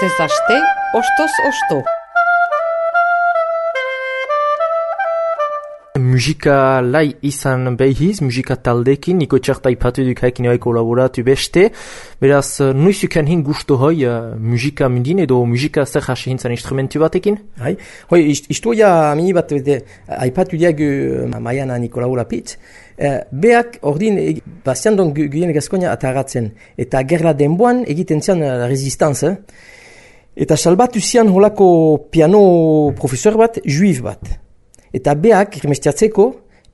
Astez aste, ostoz osto. Musika lai izan behiz, musika taldekin, niko txarta ipatu duk haikin eoi kolaboratu beste. Beraz, nuizuken hin gusto hoi musika mundin edo musika zer hasi hintzan instrumentu batekin? Hai, hoi, istoia mini bat aipatu diagu Maiana Nikolaola pitz. Beak ordin bazian don Guyene Gaskonia ataratzen. Eta gerla denboan egiten zian resistance. Eta salbatu zian holako piano profesor bat, juiv bat. Eta beak, remestiatzeko,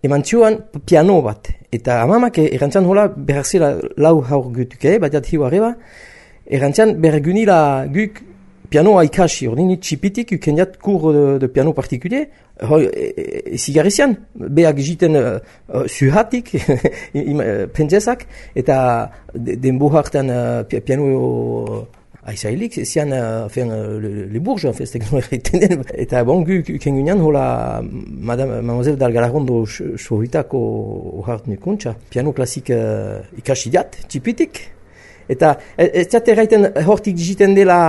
eman zioan piano bat. Eta amamak erantzan hola beharzela lau haur gutuke, batiat hiu arreba, erantzan bergunila guk pianoa ikasi, ordin txipitik ukendiat kur de piano partikulier, zigarrizian, beak jiten zuhatik, pentzezak, eta denbo hartan piano aizailik, zian le bourge, eta bon, kengunean hola Mademoiselle d'Algalarondo sohitako ohart nukuntza, piano klasik ikasi diat, txipitik, eta ez diat erraiten hortik jiten dela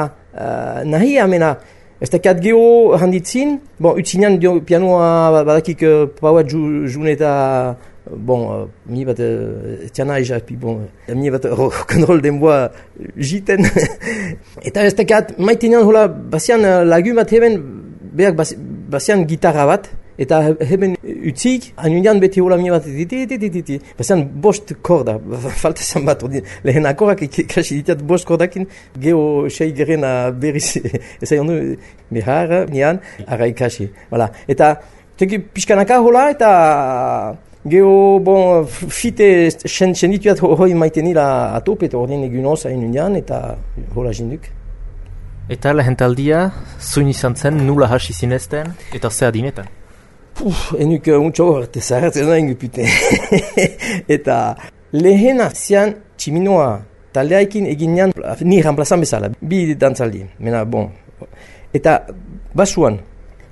nahi, amena, ez dakiat geho handitzin, bon, utzinean pianoa badakik pauat june eta bon, mi bat tiana eja, bon, mi bat rock'n'roll denboa jiten. Eta ez dakiat maitenean hola bazian lagu bat heben, beak bazian gitarra bat, eta heben utzik, anunean beti hola mi bat bazian bost korda, falta zan bat, lehen akorak ikasi ditiat bost kordakin, geho sei gerena berriz, ez aion du, behar, nian, ara ikasi. Voilà. Eta, teki pixkanaka hola, eta geho, bon, fite sendituat hoi maitenila atop, eta ordin egun osa inundian, eta hola jinduk. Eta lehentaldia, zuin izan zen, nula hasi zinezten, eta ze adinetan? Enuk untxo horrete zahartzen nahi gupute. Eta lehena zian tximinoa taldeaikin eginean, ni ramplazan bezala, bi dantzaldi, mena bon. Eta basuan,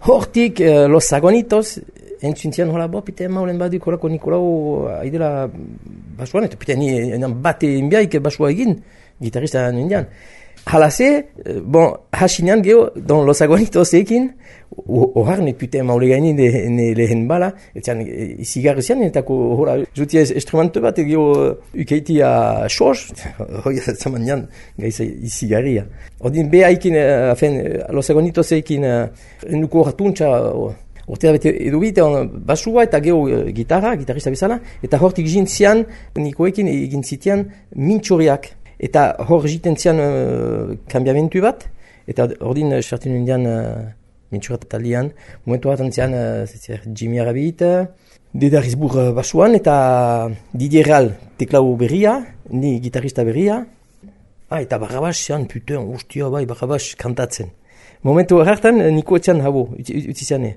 hortik Los Agonitos, entzuntian hola, pite maulen baduk horako Nikolau aidela basuan, eta pite ni bate inbiaik basua egin, gitarista nindian. Halase, bon, hasinean geho, don Los Agonitos ekin, oharnek pite maule gaini lehen bala, etzian izigarri zian, eta hola, jutia instrumentu bat, geho ukeitia xos, hoi zaman nian, gaiza izigarria. Ordin behaikin, Los Agonitos ekin, nuko horatuntza, ortea bete edubite basua eta geho gitarista bezala, eta hortik jintzian, nikoekin egin zitian mintxoriak. Eta hor jiten zian kambiamentu bat, eta ordin sartin indian mintxurat talian, momentu hartan zian Jimmy Rabbit, Dedarizbur basuan, eta Didier Real teklau berria, ni gitarista berria, eta Barrabas zian, puten, ustia bai, Barrabas kantatzen. Momentu hartan niko etzian habo, utzi ziane.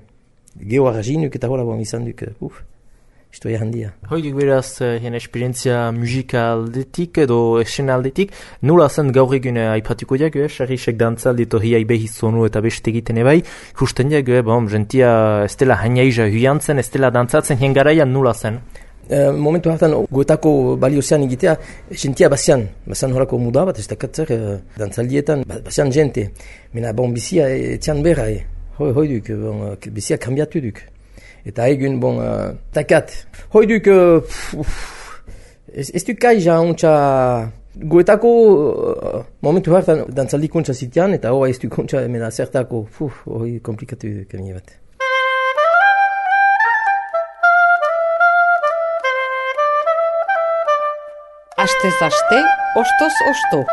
Geho arrazinuk eta hola bon izan duk, istoia handia. Hoidik beraz, hien esperientzia musikaldetik edo esenaldetik, nula zen gaur egun aipatuko diago, sarrisek dantzaldi eto hiai behiz zonu eta beste egiten ebai, justen diago, bon, gentia ez dela hainaiza huiantzen, ez dela dantzatzen, hien garaian nula zen. Momentu hartan goetako baliozean egitea, gentia bazian horako muda bat, ez dakatzer dantzaldietan, bazian jente. Mena bon bizia etzian berra, hoi duk, bizia kambiatu duk. Eta egun, bon, takat. Hoi duk, ez duk kaija ontsa goetako momentu hartan dantzaldi kontsa zitian, eta hoa ez duk kontsa emena zertako, hoi komplikatu duk emine bat. Astez aste, ostoz osto.